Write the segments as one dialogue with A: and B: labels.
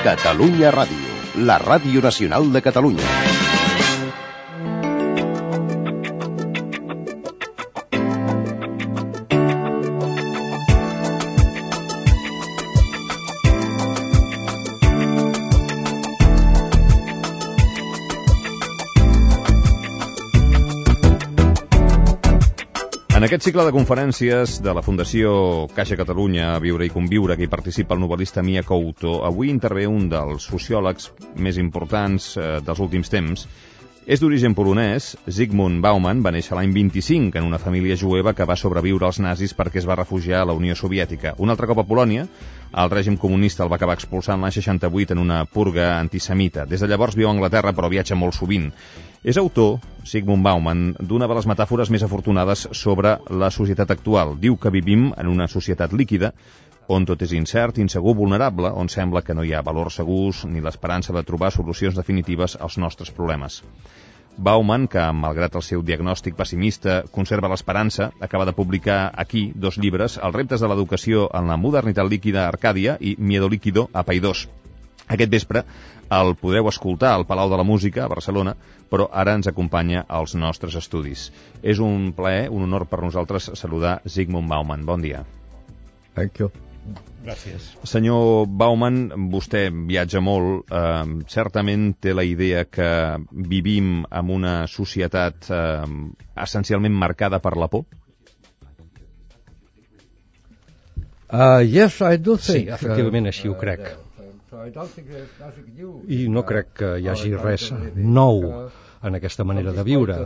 A: Catalunya Ràdio, la ràdio nacional de Catalunya.
B: En aquest cicle de conferències de la Fundació Caixa Catalunya, Viure i Conviure, que hi participa el novel·lista Mia Couto, avui intervé un dels sociòlegs més importants dels últims temps. És d'origen polonès. Zygmunt Bauman va néixer l'any 25 en una família jueva que va sobreviure als nazis perquè es va refugiar a la Unió Soviètica. Un altre cop a Polònia, el règim comunista el va acabar expulsant l'any 68 en una purga antisemita. Des de llavors viu a Anglaterra, però viatja molt sovint. És autor, Zygmunt Bauman, d'una de les metàfores més afortunades sobre la societat actual. Diu que vivim en una societat líquida, on tot és incert, insegur, vulnerable, on sembla que no hi ha valors segurs ni l'esperança de trobar solucions definitives als nostres problemes. Bauman, que malgrat el seu diagnòstic pessimista conserva l'esperança, acaba de publicar aquí 2 llibres, Els reptes de l'educació en la modernitat líquida a Arcàdia i Miedo líquido a Paidós. Aquest vespre el podreu escoltar al Palau de la Música, a Barcelona, però ara ens acompanya als nostres estudis. És un plaer, un honor per nosaltres saludar Zygmunt Bauman. Bon dia.
C: Thank you.
D: Gràcies.
B: Senyor Bauman, vostè viatja molt. Certament té la idea que vivim en una societat essencialment marcada per la por?
C: Yes, I do think.
D: Sí, efectivament, així ho crec. I no crec que hi hagi res nou en aquesta manera de viure.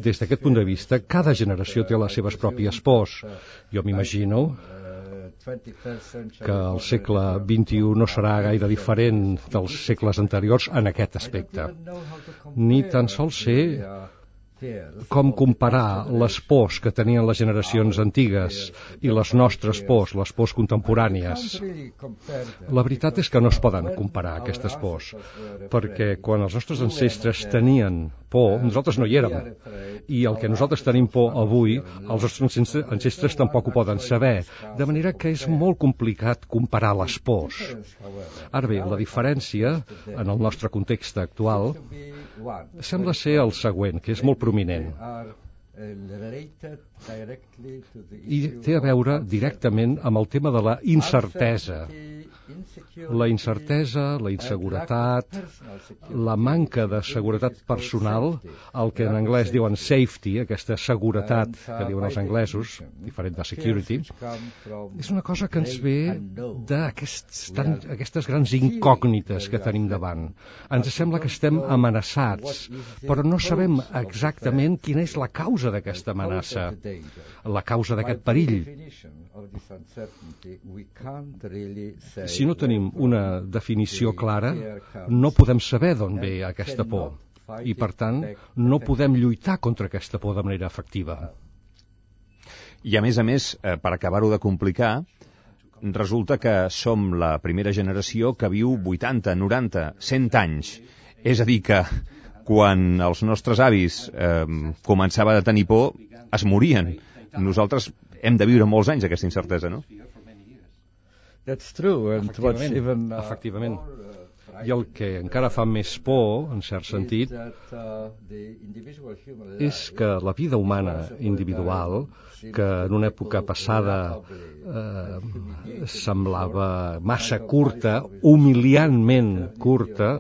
D: Des d'aquest punt de vista, cada generació té les seves pròpies pors. Jo m'imagino que el segle XXI no serà gaire diferent dels segles anteriors en aquest aspecte. Ni tan sols sé com comparar les pors que tenien les generacions antigues i les nostres pors, les pors contemporànies. La veritat és que no es poden comparar aquestes pors, perquè quan els nostres ancestres tenien por, nosaltres no hi érem, i el que nosaltres tenim por avui, els nostres ancestres tampoc ho poden saber, de manera que és molt complicat comparar les pors. Ara bé, la diferència en el nostre context actual sembla ser el següent, que és molt prominent. I té a veure directament amb el tema de la incertesa. La incertesa, la inseguretat, la manca de seguretat personal, el que en anglès diuen safety, aquesta seguretat que diuen els anglesos, diferent de security, és una cosa que ens ve d'aquestes grans incògnites que tenim davant. Ens sembla que estem amenaçats, però no sabem exactament quina és la causa d'aquesta amenaça, la causa d'aquest perill. Si no tenim una definició clara, no podem saber d'on ve aquesta por i, per tant, no podem lluitar contra aquesta por de manera efectiva.
B: I, a més, per acabar-ho de complicar, resulta que som la primera generació que viu 80, 90, 100 anys. És a dir, que quan els nostres avis començaven a tenir por, es morien. Nosaltres hem de viure molts anys aquesta incertesa, no?
C: That's true. And
D: Efectivament. I el que encara fa més por, en cert sentit, és que la vida humana individual, que en una època passada semblava massa curta, humiliantment curta,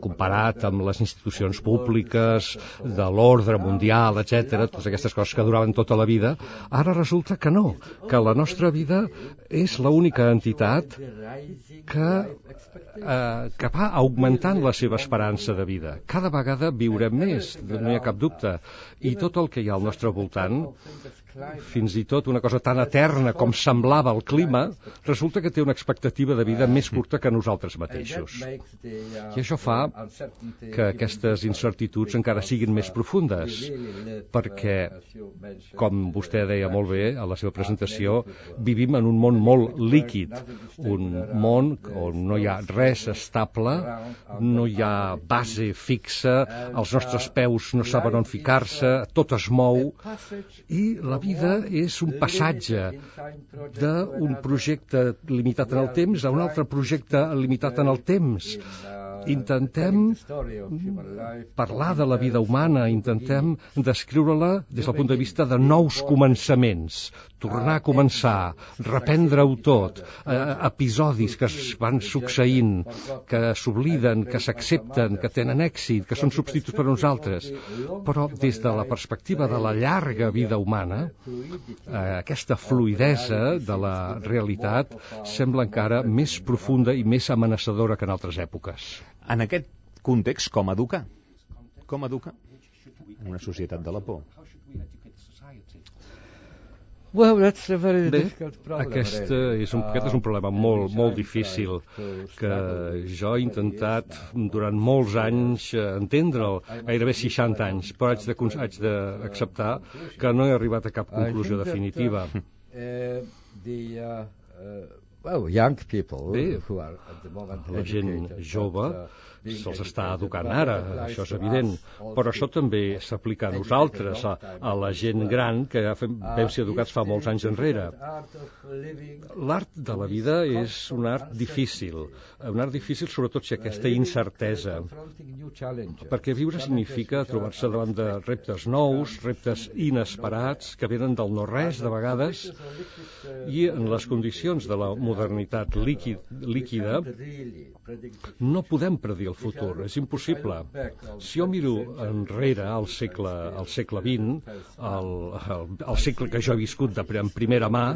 D: comparat amb les institucions públiques, de l'ordre mundial, etc., totes aquestes coses que duraven tota la vida, ara resulta que no, que la nostra vida és l'única entitat que va augmentant la seva esperança de vida. Cada vegada viurem més, no hi ha cap dubte, i tot el que hi ha al nostre voltant, fins i tot una cosa tan eterna com semblava el clima, resulta que té una expectativa de vida més curta que nosaltres mateixos. I això fa que aquestes incertituds encara siguin més profundes, perquè, com vostè deia molt bé a la seva presentació, vivim en un món molt líquid, un món on no hi ha res estable, no hi ha base fixa, els nostres peus no saben on ficar-se, tot es mou, i la vida és un passatge d'un projecte limitat en el temps a un altre projecte limitat en el temps. Intentem parlar de la vida humana, intentem descriure-la des del punt de vista de nous començaments, tornar a començar, reprendre-ho tot, episodis que es van succeint, que s'obliden, que s'accepten, que tenen èxit, que són substituts per uns altres. Però des de la perspectiva de la llarga vida humana, aquesta fluïdesa de la realitat sembla encara més profunda i més amenaçadora que en altres èpoques.
B: En aquest context, com educar? Com educar una societat de la por?
C: Well, that's a very
D: Bé,
C: difficult problem.
D: aquest és un problema molt difícil que jo he intentat durant molts anys entendre'l, gairebé 60 anys, però haig d'acceptar que no he arribat a cap conclusió definitiva.
C: Well, young people
D: Bé,
C: who are at the moment
D: la gent
C: educated,
D: jove
C: being
D: se'ls està
C: educated
D: educant ara,
C: applies
D: això és
C: to
D: evident,
C: us
D: però
C: also.
D: això també s'aplica a nosaltres, a la gent gran que vam ser educats fa molts anys enrere. L'art de la vida és un art difícil sobretot si aquesta incertesa, perquè viure significa trobar-se davant de reptes nous, reptes inesperats, que venen del no-res de vegades, i en les condicions de la modernitat líquida no podem predir el futur, és impossible. Si jo miro enrere al segle XX, el segle que jo he viscut en primera mà,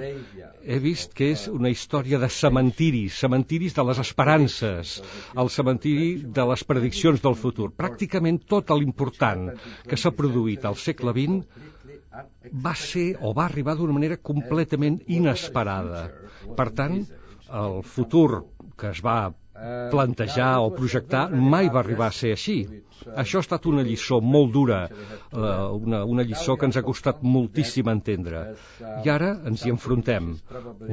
D: he vist que és una història de cementiris de les esperances, el cementiri de les prediccions del futur. Pràcticament tot l'important que s'ha produït al segle XX va ser o va arribar d'una manera completament inesperada. Per tant, el futur que es va plantejar o projectar mai va arribar a ser així. Això ha estat una lliçó molt dura, una lliçó que ens ha costat moltíssim entendre. I ara ens hi enfrontem.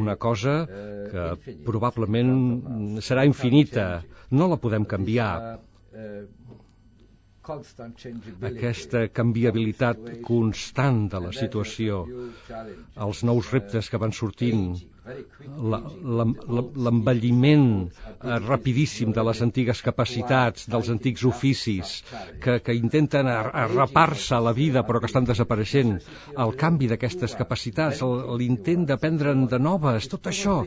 D: Una cosa que probablement serà infinita, no la podem canviar. Aquesta canviabilitat constant de la situació, els nous reptes que van sortint, l'envelliment rapidíssim de les antigues capacitats, dels antics oficis, que intenten arrapar-se a la vida però que estan desapareixent, el canvi d'aquestes capacitats, l'intent d'aprendre'n de noves, tot això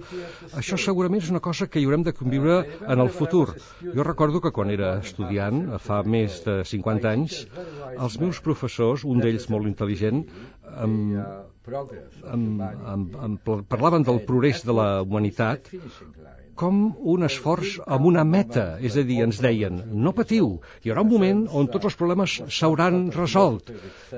D: segurament és una cosa que hi haurem de conviure en el futur. Jo recordo que quan era estudiant, fa més de 50 anys, els meus professors, un d'ells molt intel·ligent, parlaven del progrés de la humanitat com un esforç amb una meta, és a dir, ens deien, no patiu, hi haurà un moment on tots els problemes s'hauran resolt.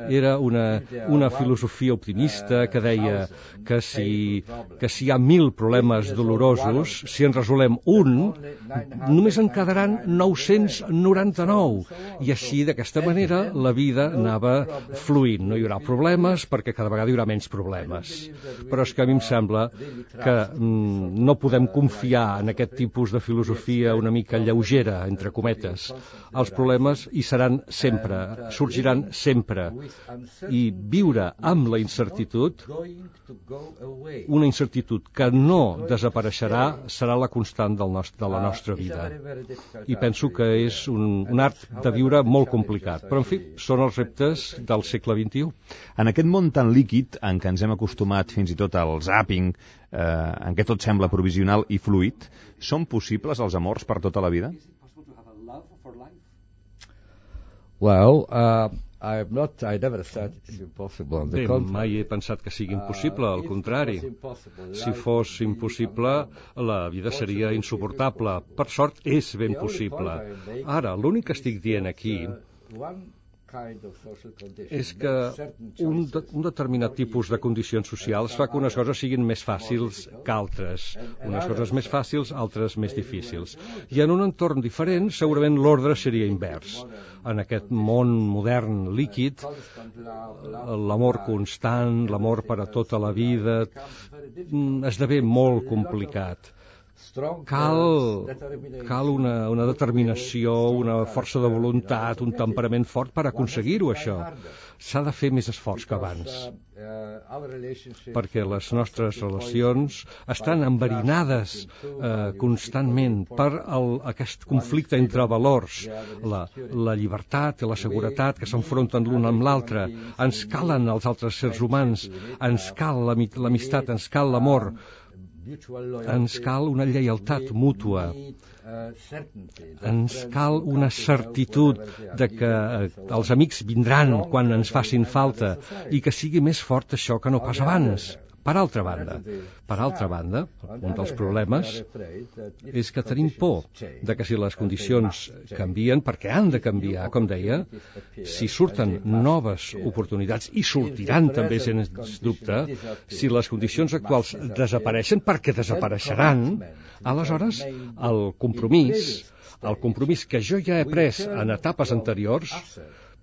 D: Era una filosofia optimista que deia que si hi ha 1000 problemes dolorosos, si en resolem un, només en quedaran 999. I així, d'aquesta manera, la vida anava fluint. No hi haurà problemes perquè cada vegada hi haurà menys problemes. Però és que a mi em sembla que no podem confiar en aquest tipus de filosofia una mica lleugera, entre cometes. Els problemes hi seran sempre, sorgiran sempre. I viure amb la incertitud, una incertitud que no desapareixerà, serà la constant de la nostra vida. I penso que és un art de viure molt complicat. Però, en fi, són els reptes del segle XXI.
B: En aquest món tan líquid en què ens hem acostumat fins i tot al zapping, en què tot sembla provisional i fluid, són possibles els amors per tota la vida?
C: Well, I never said it's impossible.
D: Bé, mai he pensat que sigui impossible, al contrari. Si fos impossible, la vida seria insuportable. Per sort, és ben possible. Ara, l'únic que estic dient aquí és que un determinat tipus de condicions socials fa que unes coses siguin més fàcils que altres. Unes coses més fàcils, altres més difícils. I en un entorn diferent, segurament l'ordre seria invers. En aquest món modern líquid, l'amor constant, l'amor per a tota la vida, esdevé molt complicat. Cal una determinació, una força de voluntat, un temperament fort per aconseguir-ho, això. s'ha de fer més esforç que abans, perquè les nostres relacions estan enverinades constantment per aquest conflicte entre valors, la llibertat i la seguretat que s'enfronten l'un amb l'altre. Ens calen els altres éssers humans, ens cal l'amistat, ens cal l'amor, ens cal una lleialtat mútua, ens cal una certitud de que els amics vindran quan ens facin falta i que sigui més fort això que no pas abans. Per altra banda, un dels problemes és que tenim por de que si les condicions canvien, perquè han de canviar, com deia, si surten noves oportunitats, i sortiran també, sens dubte, si les condicions actuals desapareixen, perquè desapareixeran, aleshores el compromís que jo ja he pres en etapes anteriors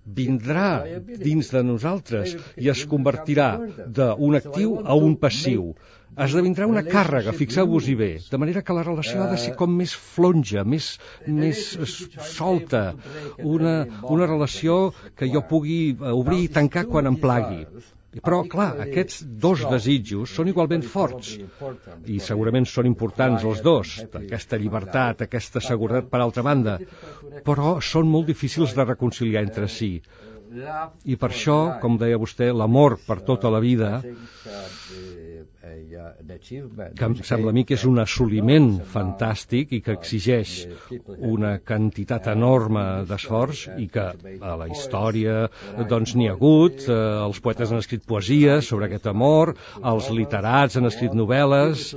D: vindrà dins de nosaltres i es convertirà d'un actiu a un passiu. Esdevindrà una càrrega, fixeu-vos-hi bé, de manera que la relació ha de ser com més flonja, més solta, una relació que jo pugui obrir i tancar quan em plagui. Però, clar, aquests dos desitjos són igualment forts i segurament són importants els dos, aquesta llibertat, aquesta seguretat per altra banda, però són molt difícils de reconciliar entre si. I per això, com deia vostè, l'amor per tota la vida, que em sembla a mi que és un assoliment fantàstic i que exigeix una quantitat enorme d'esforç i que a la història doncs n'hi ha hagut, els poetes han escrit poesies sobre aquest amor, els literats han escrit novel·les,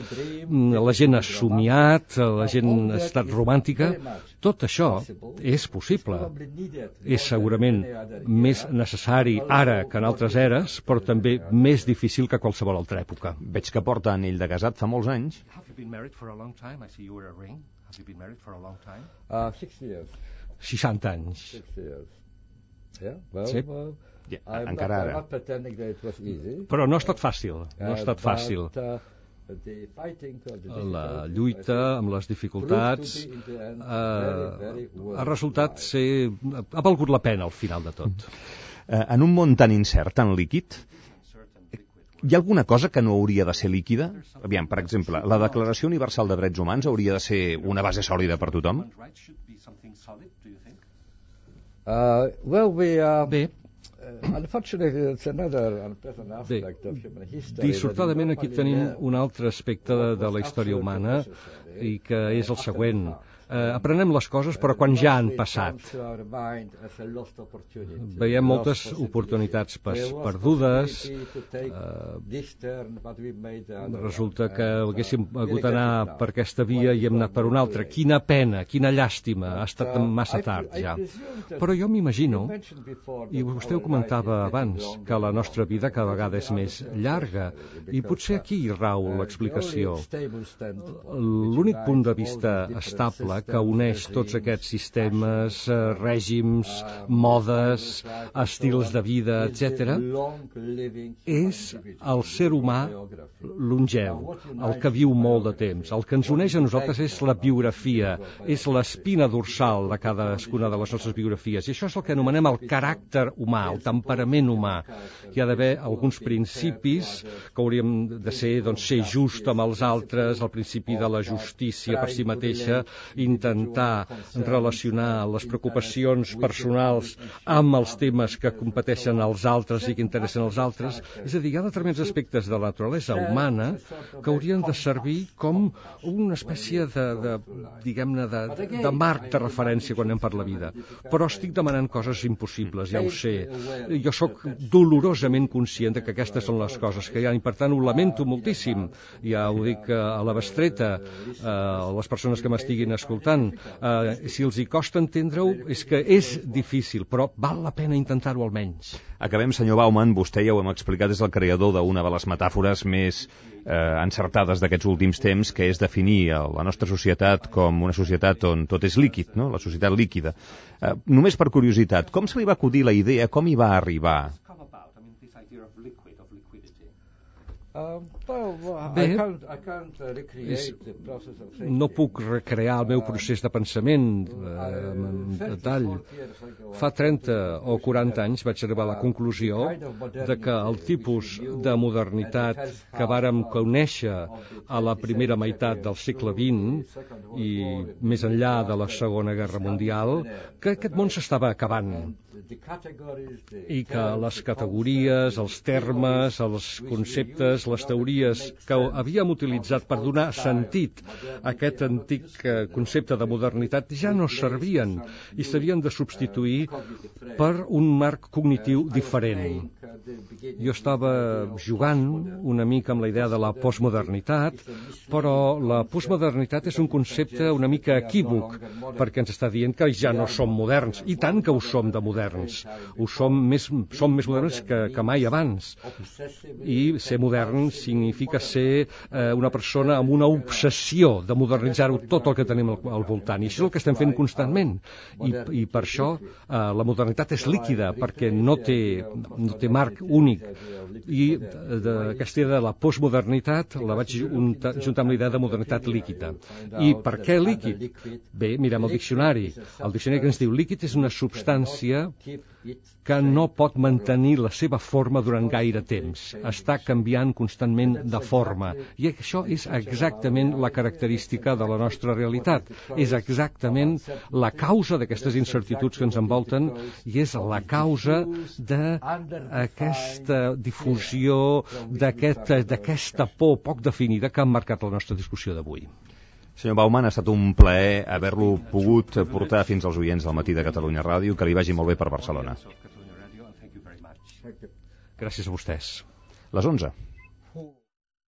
D: la gent ha somiat, la gent ha estat romàntica. Tot això és possible. És segurament més necessari ara que en altres eres, però també més difícil que qualsevol altra època.
B: Veig que porta anell de casat fa molts anys.
D: 60 anys. Sí.
B: Encara ara.
D: Però no ha estat fàcil, no ha estat fàcil. La lluita amb les dificultats ha resultat ser... ha valgut la pena al final de tot.
B: En un món tan incert, tan líquid, hi ha alguna cosa que no hauria de ser líquida? Aviam, per exemple, la Declaració Universal de Drets Humans hauria de ser una base sòlida per tothom?
D: Bé, dissortadament aquí tenim un altre aspecte de la història humana i que és el següent. Aprenem les coses, però quan ja han passat. Veiem moltes oportunitats perdudes. Resulta que haguéssim hagut d'anar per aquesta via i hem anat per una altra. Quina pena, quina llàstima, ha estat massa tard ja. Però jo m'imagino, i vostè ho comentava abans, que la nostra vida cada vegada és més llarga, i potser aquí rau l'explicació. L'únic punt de vista estable que uneix tots aquests sistemes, règims, modes, estils de vida, etc., és el ser humà longeu, el que viu molt de temps. El que ens uneix a nosaltres és la biografia, és l'espina dorsal de cadascuna de les nostres biografies. I això és el que anomenem el caràcter humà, el temperament humà. Hi ha d'haver alguns principis que hauríem de ser, doncs, ser just amb els altres, el principi de la justícia per si mateixa, intentar relacionar les preocupacions personals amb els temes que competeixen als altres i que interessen als altres. És a dir, hi ha determinats aspectes de la naturalesa humana que haurien de servir com una espècie diguem-ne, de marc de referència quan anem per la vida. Però estic demanant coses impossibles, ja ho sé. Jo sóc dolorosament conscient que aquestes són les coses que hi ha i per tant ho lamento moltíssim. Ja ho dic a la bestreta, a les persones que m'estiguin escoltant. Si els hi costa entendre-ho, és que és difícil, però val la pena intentar-ho almenys.
B: Acabem, senyor Bauman, vostè ja ho hem explicat, és el creador d'una de les metàfores més encertades d'aquests últims temps, que és definir la nostra societat com una societat on tot és líquid, no? La societat líquida. Només per curiositat, com se li va acudir la idea, com hi va arribar?
D: Bé, no puc recrear el meu procés de pensament en detall. Fa 30 o 40 anys vaig arribar a la conclusió de que el tipus de modernitat que vàrem conèixer a la primera meitat del segle XX i més enllà de la Segona Guerra Mundial, que aquest món s'estava acabant i que les categories, els termes, els conceptes, les teories que havíem utilitzat per donar sentit a aquest antic concepte de modernitat ja no servien i s'havien de substituir per un marc cognitiu diferent. Jo estava jugant una mica amb la idea de la postmodernitat, però la postmodernitat és un concepte una mica equívoc, perquè ens està dient que ja no som moderns, i tant que ho som de moderns. Som més moderns que mai abans. I ser modern significa ser una persona amb una obsessió de modernitzar-ho tot el que tenim al voltant. I això és el que estem fent constantment. I per això la modernitat és líquida, perquè no té marc únic. I aquesta idea de la postmodernitat la vaig juntar amb la idea de modernitat líquida. I per què líquid? Bé, mirem el diccionari. El diccionari que ens diu líquid és una substància que no pot mantenir la seva forma durant gaire temps. Està canviant constantment de forma. I això és exactament la característica de la nostra realitat. És exactament la causa d'aquestes incertituds que ens envolten i és la causa d'aquesta difusió, d'aquesta por poc definida que ha marcat la nostra discussió d'avui.
B: Senyor Bauman, ha estat un plaer haver-lo pogut portar fins als oients del Matí de Catalunya Ràdio. Que li vagi molt bé per Barcelona.
D: Gràcies a vostès.
B: Les 11.